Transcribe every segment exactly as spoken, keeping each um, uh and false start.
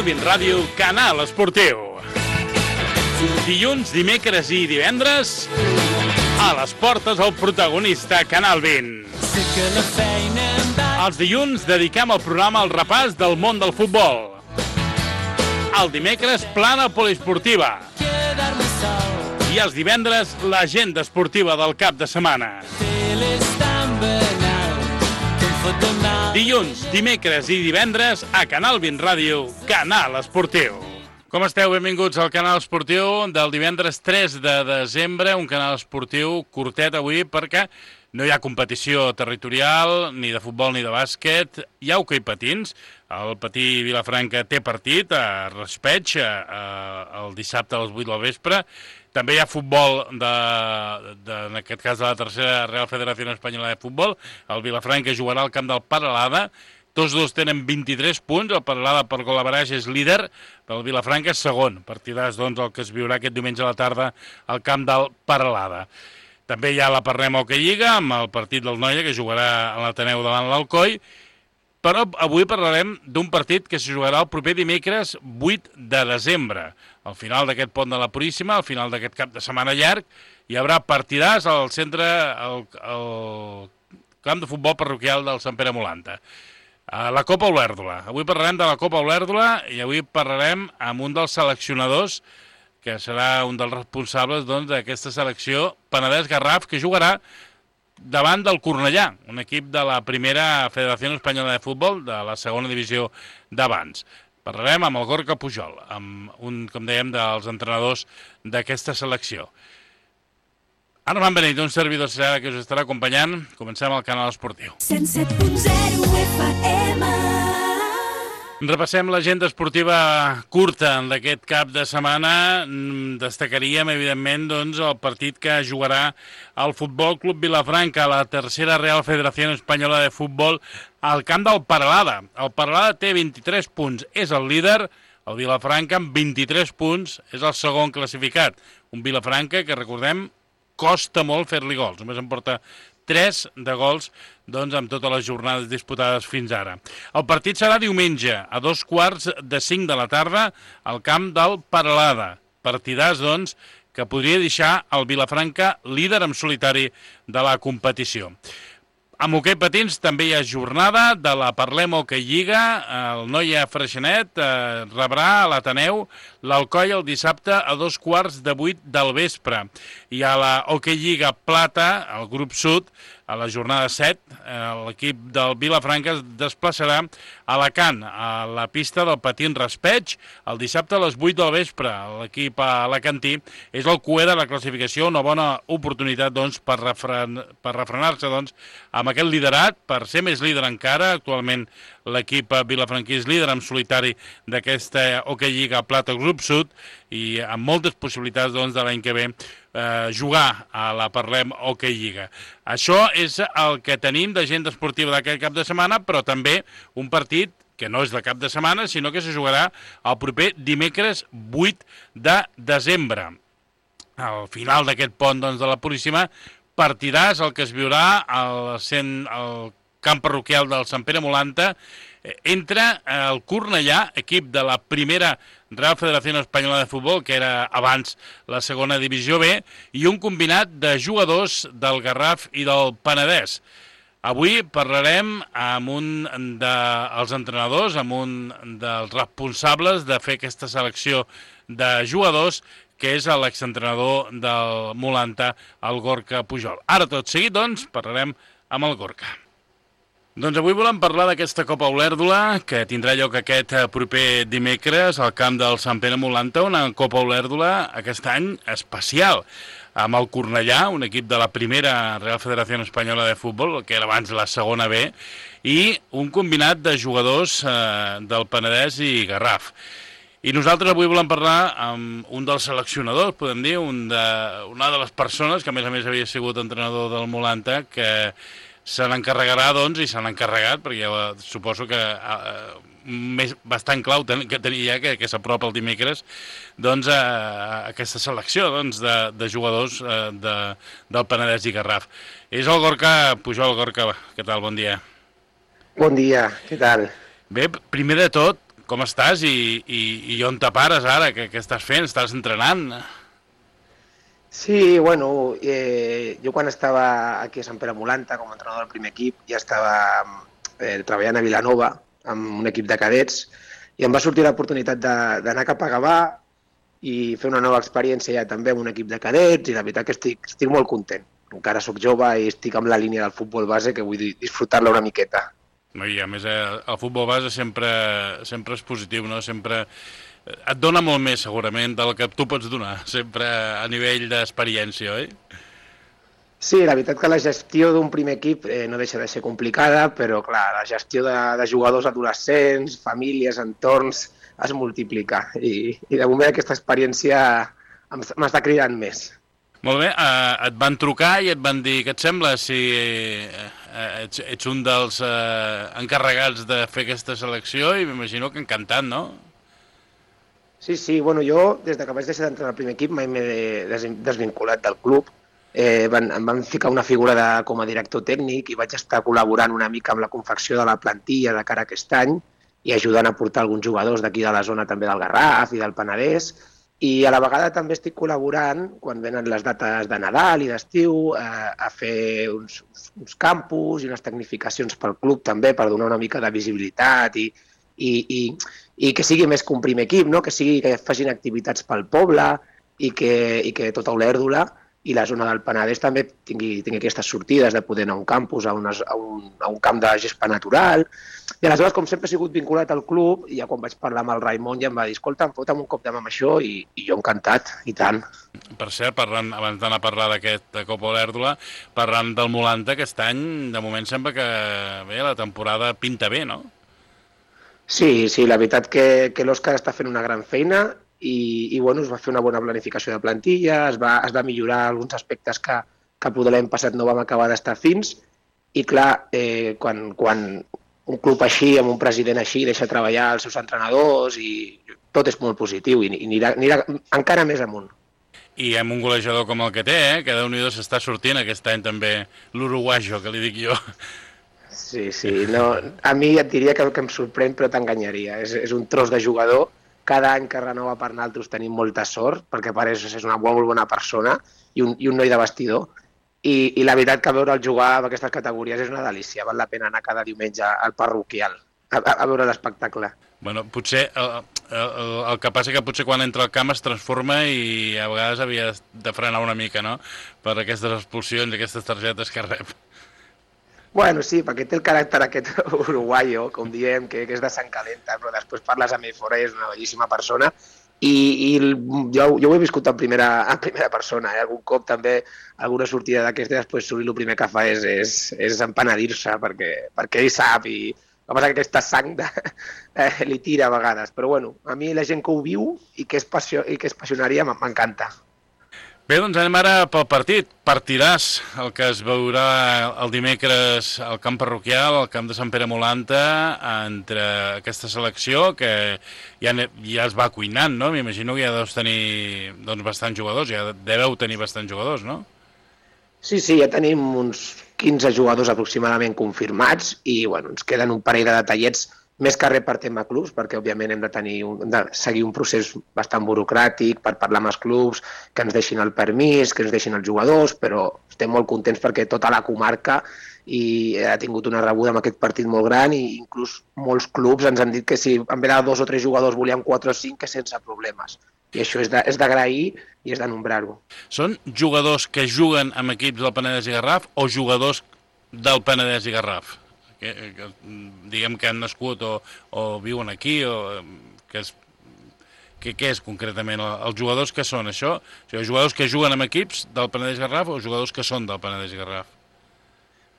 vint Ràdio, Canal Esportiu. Dilluns, dimecres i divendres, a les portes el protagonista Canal vint. Els dilluns dediquem el programa al repàs del món del futbol. El dimecres, plana poliesportiva. I els divendres, l'agenda esportiva del cap de setmana. Dilluns, dimecres i divendres a Canal vint Ràdio, Canal Esportiu. Com esteu? Benvinguts al Canal Esportiu del divendres tres de desembre, un canal esportiu curtet avui perquè no hi ha competició territorial, ni de futbol ni de bàsquet. Hi ha hoquei patins. El Patí Vilafranca té partit a Raspeig el dissabte a les vuit del vespre. També hi ha futbol, de, de, en aquest cas de la tercera Real Federació Espanyola de Futbol. El Vilafranca jugarà al camp del Paralada. Tots dos tenen vint-i-tres punts. El Paralada per gol-average és líder. El Vilafranca és segon. Partidàs, doncs, el que es viurà aquest diumenge a la tarda al camp del Paralada. També hi ha la Parlem Hoquei Lliga, amb el partit del Noia, que jugarà a l'Ateneu davant l'Alcoi. Però avui parlarem d'un partit que se jugarà el proper dimecres vuit de desembre. Al final d'aquest pont de la Puríssima, al final d'aquest cap de setmana llarg, hi haurà partidàs al centre, al, al camp de futbol parroquial del Sant Pere Molanta. La Copa Olèrdola. Avui parlarem de la Copa Olèrdola i avui parlarem amb un dels seleccionadors, que serà un dels responsables doncs, d'aquesta selecció, Penedès Garraf, que jugarà davant del Cornellà, un equip de la primera Federació Espanyola de Futbol, de la segona divisió d'abans. Parlarem amb el Gorka Pujol, amb un, com dèiem, dels entrenadors d'aquesta selecció. Ara m'han venit un servidor que us estarà acompanyant. Comencem al Canal Esportiu. cent set punt zero F M. Repassem l'agenda esportiva curta d'aquest cap de setmana. Destacaríem, evidentment, doncs, el partit que jugarà el Futbol Club Vilafranca, la tercera Real Federació Espanyola de Futbol, al camp del Paralada. El Paralada té vint-i-tres punts, és el líder. El Vilafranca, amb vint-i-tres punts, és el segon classificat. Un Vilafranca que, recordem, costa molt fer-li gols. Només en porta tres de gols doncs, amb totes les jornades disputades fins ara. El partit serà diumenge, a dos quarts de cinc de la tarda, al camp del Paralada. Partidàs, doncs, que podria deixar el Vilafranca líder en solitari de la competició. Amb hoquei patins també hi ha jornada de la Parlem Hoquei Lliga. El Noia Freixenet eh, rebrà a l'Ateneu l'Alcoi el dissabte a dos quarts de vuit del vespre. I a la Hoquei Lliga Plata, al grup sud, a la jornada set, l'equip del Vilafranca es desplaçarà a Alacant, a la pista del Patín Raspeig, el dissabte a les vuit del vespre. L'equip alacantí és el cuer de la classificació, una bona oportunitat doncs, per, refren per refrenar-se doncs, amb aquest liderat, per ser més líder encara. Actualment l'equip vilafranquí és líder en solitari d'aquesta Hoquei Lliga Plata Grup Sud i amb moltes possibilitats doncs, de l'any que ve eh, jugar a la Parlem Hoquei Lliga. Això és el que tenim d'agenda esportiva d'aquest cap de setmana, però també un partit que no és de cap de setmana, sinó que se jugarà el proper dimecres vuit de desembre. Al final d'aquest pont doncs, de la Puríssima, partidàs el que es viurà al, cent, al camp parroquial del Sant Pere Molanta entre el Cornellà, equip de la primera Real Federació Espanyola de Futbol, que era abans la segona divisió B, i un combinat de jugadors del Garraf i del Penedès. Avui parlarem amb un dels entrenadors, amb un dels responsables de fer aquesta selecció de jugadors, que és l'exentrenador del Molanta, el Gorka Pujol. Ara tot seguit, doncs, parlarem amb el Gorka. Doncs avui volem parlar d'aquesta Copa Olèrdola, que tindrà lloc aquest proper dimecres al camp del Sant Pere Molanta, una Copa Olèrdola aquest any especial, amb el Cornellà, un equip de la primera Real Federació Espanyola de Futbol, que era abans la segona B, i un combinat de jugadors eh, del Penedès i Garraf. I nosaltres avui volem parlar amb un dels seleccionadors, podem dir, un de, una de les persones que a més a més havia sigut entrenador del Molanta, que se n'encarregarà, doncs, i se n'ha encarregat, perquè ja suposo que eh, més, bastant clau ten, que tenia ja que, que s'apropa el dimecres, doncs, a, a aquesta selecció doncs, de, de jugadors eh, de, del Penedès i Garraf. És el Gorka Pujol. Gorka, què tal? Bon dia. Bon dia, què tal? Bé, primer de tot, com estàs i, i, i on te pares ara? Què, què estàs fent? Estàs entrenant? Sí, bueno, eh, jo quan estava aquí a Sant Pere Molanta com a entrenador del primer equip ja estava eh, treballant a Vilanova amb un equip de cadets i em va sortir l'oportunitat d'anar cap a Gavà i fer una nova experiència ja també amb un equip de cadets i la veritat que estic, estic molt content. Encara sóc jove i estic amb la línia del futbol base que vull disfrutar-la una miqueta. I a més, el futbol base sempre, sempre és positiu, no? Sempre et dona molt més, segurament, del que tu pots donar, sempre a nivell d'experiència, oi? Sí, la veritat que la gestió d'un primer equip eh, no deixa de ser complicada, però, clar, la gestió de, de jugadors adolescents, famílies, entorns, es multiplica. I, i de moment aquesta experiència m'està cridant més. Molt bé, eh, et van trucar i et van dir, què et sembla si eh, ets, ets un dels eh, encarregats de fer aquesta selecció i m'imagino que encantat, no? Sí, sí, bueno, jo des que vaig deixar d'entrar al primer equip mai m'he desvinculat del club. Eh, van, em van ficar una figura de, com a director tècnic i vaig estar col·laborant una mica amb la confecció de la plantilla de cara a aquest any i ajudant a portar alguns jugadors d'aquí de la zona també del Garraf i del Penedès. I a la vegada també estic col·laborant, quan venen les dates de Nadal i d'estiu, eh, a fer uns, uns campus i unes tecnificacions pel club també per donar una mica de visibilitat i, i, i, i que sigui més que un primer equip, no? Que sigui que facin activitats pel poble i que, i que tota Olèrdola i la zona del Penedès també tingui, tingui aquestes sortides de poder anar a un campus, a, unes, a, un, a un camp de gespa natural. I aleshores, com sempre he sigut vinculat al club, i ja quan vaig parlar amb el Raimon ja em va dir, escolta, fota'm un cop de mà amb això, i, i jo encantat, i tant. Per cert, parlant, abans d'anar a parlar d'aquest Copa Olèrdola, parlant del Molanta, aquest any, de moment sembla que bé, la temporada pinta bé, no? Sí, sí, la veritat que, que l'Òscar està fent una gran feina, i, i bueno, es va fer una bona planificació de plantilla, es va, es va millorar alguns aspectes que, que poder l'any passat no vam acabar d'estar fins, i clar, eh, quan, quan un club així, amb un president així, deixa treballar els seus entrenadors i tot és molt positiu i, i anirà, anirà encara més amunt. I amb un golejador com el que té, eh, que Déu-n'hi-do s'està sortint aquest any també l'uruguajo, que li dic jo. Sí, sí, no, a mi et diria que, que em sorprèn, però t'enganyaria. És, és un tros de jugador. Cada any que renova per nosaltres tenim molta sort, perquè pareix que és una molt, molt bona persona i un, i un noi de vestidor. I, I la veritat que veure'l jugar en aquestes categories és una delícia. Val la pena anar cada diumenge al parroquial a, a, a veure l'espectacle. Bueno, potser el, el, el que passa que potser quan entra al camp es transforma i a vegades havia de frenar una mica, no?, per aquestes expulsions i aquestes targetes que rep. Bueno, sí, perquè té el caràcter aquest uruguaio, com diem, que, que és de sang calenta, però després parles amb ell fora i és una bellíssima persona. I, i jo, jo ho he viscut en primera, en primera persona. Eh? Algun cop també, alguna sortida d'aquesta, després Suri el primer que fa és, és, és empenedir-se, perquè, perquè ell sap, i el que passa que aquesta sang de, eh, li tira a vegades. Però bueno, a mi la gent que ho viu i que és, passió, i que és passionària m'encanta. Bé, doncs anem ara pel partit. Partidàs, el que es veurà el dimecres al camp parroquial, al camp de Sant Pere Molanta, entre aquesta selecció que ja, ja es va cuinant, no? M'imagino que ja deus tenir doncs, bastants jugadors, ja deveu tenir bastants jugadors, no? Sí, sí, ja tenim uns quinze jugadors aproximadament confirmats i bueno, ens queden un parell de detallets més que res per tema clubs, perquè òbviament hem de, tenir un, hem de seguir un procés bastant burocràtic per parlar amb els clubs, que ens deixin el permís, que ens deixin els jugadors, però estem molt contents perquè tota la comarca i ha tingut una rebuda amb aquest partit molt gran i inclús molts clubs ens han dit que si en vez de dos o tres jugadors volien quatre o cinc, que sense problemes. I això és d'agrair i és de nombrar-ho. Són jugadors que juguen amb equips del Penedès i Garraf o jugadors del Penedès i Garraf? Que, que, diguem que han nascut o, o viuen aquí, o que és, que, què és concretament? Els jugadors que són això? O sigui, jugadors que juguen amb equips del Penedès Garraf o jugadors que són del Penedès Garraf?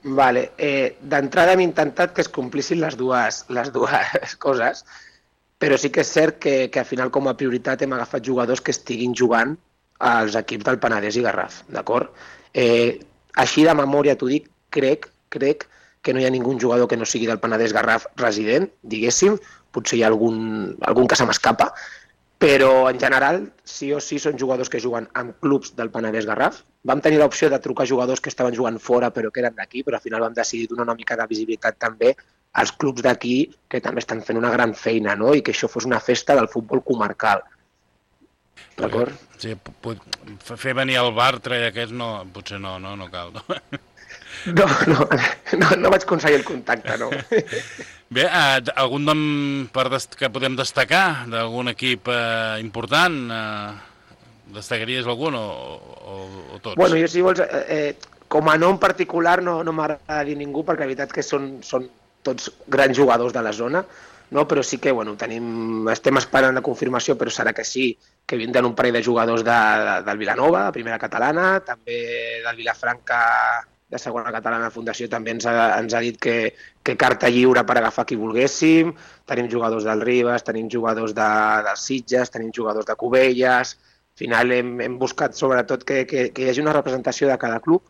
Vale, eh, d'entrada hem intentat que es complissin les dues, les dues coses, però sí que és cert que, que al final com a prioritat hem agafat jugadors que estiguin jugant als equips del Penedès i Garraf, d'acord? Eh, així de memòria t'ho dic, crec, crec que no hi ha ningú jugador que no sigui del Penedès Garraf resident, diguéssim, potser hi ha algun, algun que se m'escapa, però en general sí o sí són jugadors que juguen en clubs del Penedès Garraf. Vam tenir l'opció de trucar jugadors que estaven jugant fora però que eren d'aquí, però al final vam decidir donar una mica de visibilitat també als clubs d'aquí que també estan fent una gran feina, no? I que això fos una festa del futbol comarcal. D'acord? Sí, fer venir el Bartra i aquest no, potser no, no, no cal. No, no, no, no, no vaig aconseguir el contacte, no. Bé, eh, algun nom per dest que podem destacar d'algun equip eh, important? Eh, destacaries algun o, o, o tots? Bueno, jo si vols, eh, com a nom particular no, no m'agrada dir ningú, perquè la veritat que són, són tots grans jugadors de la zona, no? Però sí que bueno, tenim, estem esperant la confirmació, però serà que sí, que vindran un parell de jugadors de, de, del Vilanova, de primera catalana, també del Vilafranca de segona catalana. La Fundació també ens ha, ens ha dit que, que carta lliure per agafar qui volguéssim. Tenim jugadors del Ribes, tenim jugadors de, dels Sitges, tenim jugadors de Cubelles. Al final hem, hem buscat sobretot que, que, que hi hagi una representació de cada club.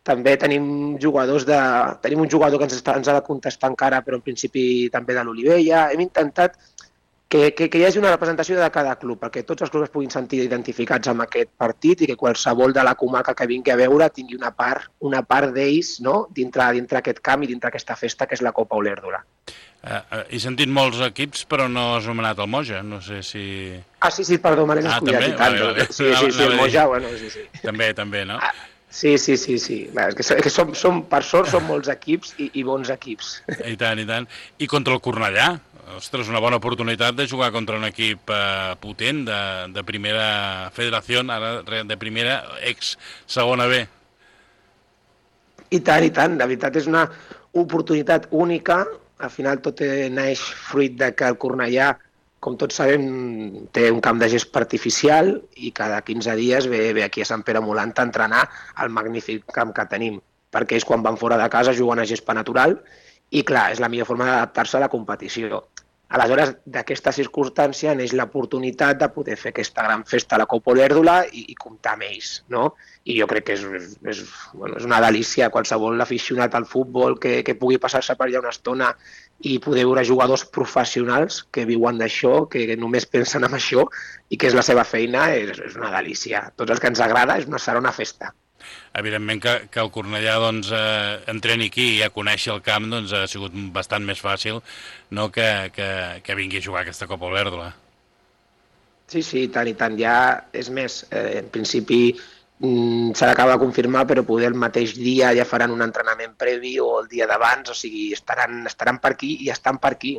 També tenim jugadors de... Tenim un jugador que ens, està, ens ha de contestar encara, però en principi també de l'Olivella. Hem intentat que, que, que hi hagi una representació de cada club, perquè tots els clubs es puguin sentir identificats amb aquest partit i que qualsevol de la comarca que vingui a veure tingui una part, una part d'ells, no? dintre, dintre aquest camp i dintre aquesta festa que és la Copa Olèrdola. Uh, uh, he sentit molts equips, però no has nomenat el Moja. No sé si... Ah, sí, sí, perdó, me l'he descuidat. Ah, també? Vale, vale. Sí, sí, sí, el Moja, bueno, sí, sí. També, també, no? Ah, sí, sí, sí, sí. És que, és que som, som, per sort són molts equips i, i bons equips. I tant, i tant. I contra el Cornellà? Ostres, una bona oportunitat de jugar contra un equip eh, potent de, de primera federació, ara de primera ex-segona B. I tant, i tant. La veritat és una oportunitat única. Al final tot neix fruit de que el Cornellà, com tots sabem, té un camp de gespa artificial i cada quinze dies ve, ve aquí a Sant Pere Molant a entrenar al magnífic camp que tenim. Perquè ells quan van fora de casa juguen a gespa natural i clar, és la millor forma d'adaptar-se a la competició. Aleshores, d'aquesta circumstància neix l'oportunitat de poder fer aquesta gran festa a la Copa Olèrdola i, i comptar amb ells, no? I jo crec que és, és, bueno, és una delícia qualsevol aficionat al futbol que, que pugui passar-se per allà una estona i poder veure jugadors professionals que viuen d'això, que només pensen en això i que és la seva feina, és, és una delícia. Tots els que ens agrada és una, serà una festa. Evidentment que, que el Cornellà doncs, eh, entreni aquí i ja coneixi el camp doncs, ha sigut bastant més fàcil, no, que, que, que vingui a jugar aquesta Copa Olèrdola. Sí, sí, tant i tant. Ja, és més, eh, en principi mm, s'ha d'acabar de confirmar, però poder el mateix dia ja faran un entrenament previ o el dia d'abans, o sigui, estaran, estaran per aquí i estan per aquí.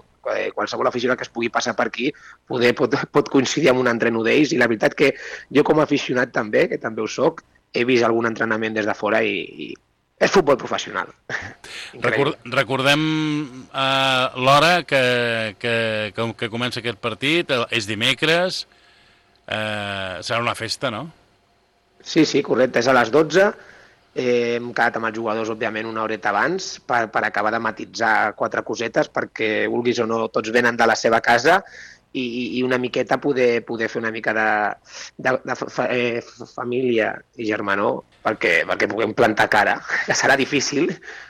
Qualsevol aficionat que es pugui passar per aquí poder, pot, pot coincidir amb un entreno d'ells, i la veritat que jo com a aficionat també, que també ho soc, he vist algun entrenament des de fora i, i és futbol professional. Record, recordem uh, l'hora que, que, que, que comença aquest partit, és dimecres, uh, serà una festa, no? Sí, sí, correcte, és a les dotze, eh, hem quedat amb els jugadors, òbviament, una horeta abans per, per acabar de matitzar quatre cosetes, perquè, vulguis o no, tots venen de la seva casa i, i una miqueta poder, poder fer una mica de, de, de fa, eh, família i germanor perquè, perquè puguem plantar cara, que serà difícil,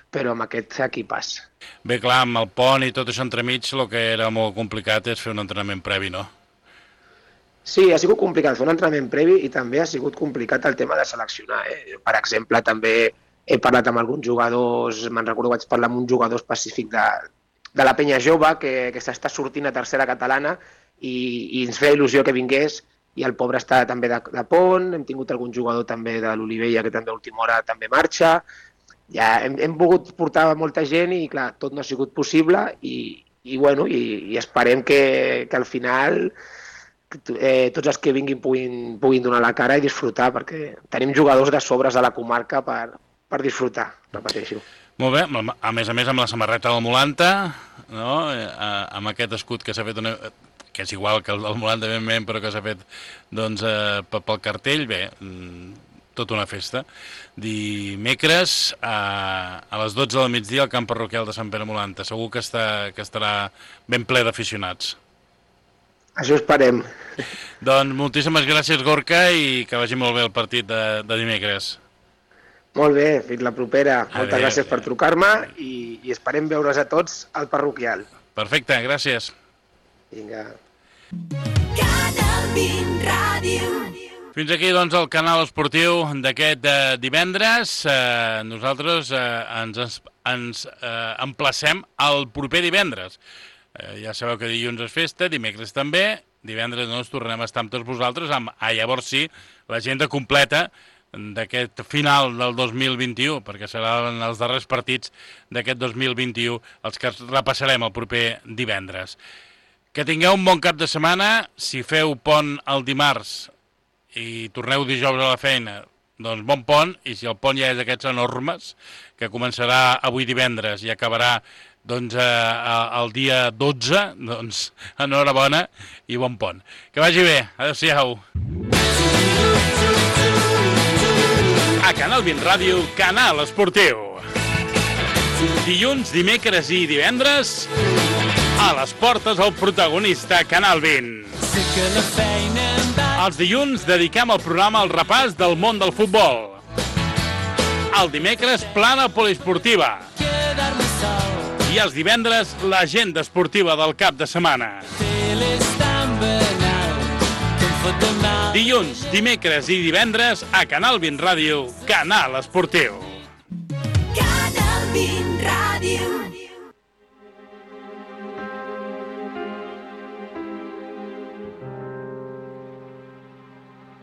però amb aquest equipàs. Bé, clar, amb el pont i tot això entremig, el que era molt complicat és fer un entrenament previ, no? Sí, ha sigut complicat fer un entrenament previ i també ha sigut complicat el tema de seleccionar. Eh? Per exemple, també he parlat amb alguns jugadors, me'n recordo vaig parlar amb un jugador específic de, de la penya jove que, que s'està sortint a tercera catalana i, i ens feia il·lusió que vingués i el pobre està també de, de pont, hem tingut algun jugador també de l'Olivella que també a última hora també marxa, ja hem, hem volgut portar molta gent i clar, tot no ha sigut possible i, i, bueno, i, i esperem que, que al final eh, tots els que vinguin puguin, puguin donar la cara i disfrutar, perquè tenim jugadors de sobres a la comarca per, per disfrutar, repeteixo. Molt bé, a més a més amb la samarreta del Molanta, no? Amb aquest escut que s'ha fet, una, que és igual que el del Molanta, però que s'ha fet doncs, eh, pel cartell, bé, tota una festa. Dimecres a, a les dotze del migdia al camp parroquial de Sant Pere Molanta. Segur que, està, que estarà ben ple d'aficionats. Això esperem. Doncs moltíssimes gràcies, Gorka, i que vagi molt bé el partit de, de dimecres. Molt bé, fins la propera. Adeu. Moltes gràcies per trucar-me i, i esperem veure's a tots al parroquial. Perfecte, gràcies. Vinga. Fins aquí, doncs, el canal esportiu d'aquest eh, divendres. Eh, nosaltres eh, ens, ens eh, emplacem al proper divendres. Eh, ja sabeu que dilluns és festa, dimecres també, divendres no ens tornem a estar amb tots vosaltres, amb, ah, llavors sí, l'agenda completa d'aquest final del dos mil vint-i-u, perquè seran els darrers partits d'aquest dos mil vint-i-u els que repassarem el proper divendres. Que tingueu un bon cap de setmana. Si feu pont el dimarts i torneu dijous a la feina, doncs bon pont, i si el pont ja és d'aquests enormes, que començarà avui divendres i acabarà doncs eh, el dia dotze, doncs enhorabona i bon pont. Que vagi bé, adeu-siau. A Canal vint Ràdio, Canal Esportiu. Dilluns, dimecres i divendres, a les portes el protagonista Canal vint. Els dilluns dediquem el programa al repàs del món del futbol. El dimecres, plana poliesportiva. I els divendres, l'agenda esportiva del cap de setmana. Dilluns, dimecres i divendres, a Canal vint Ràdio, Canal Esportiu. Canal vint Ràdio.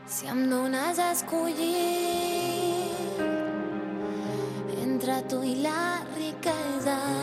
Si em dones a escollir entre tu i la riquesa,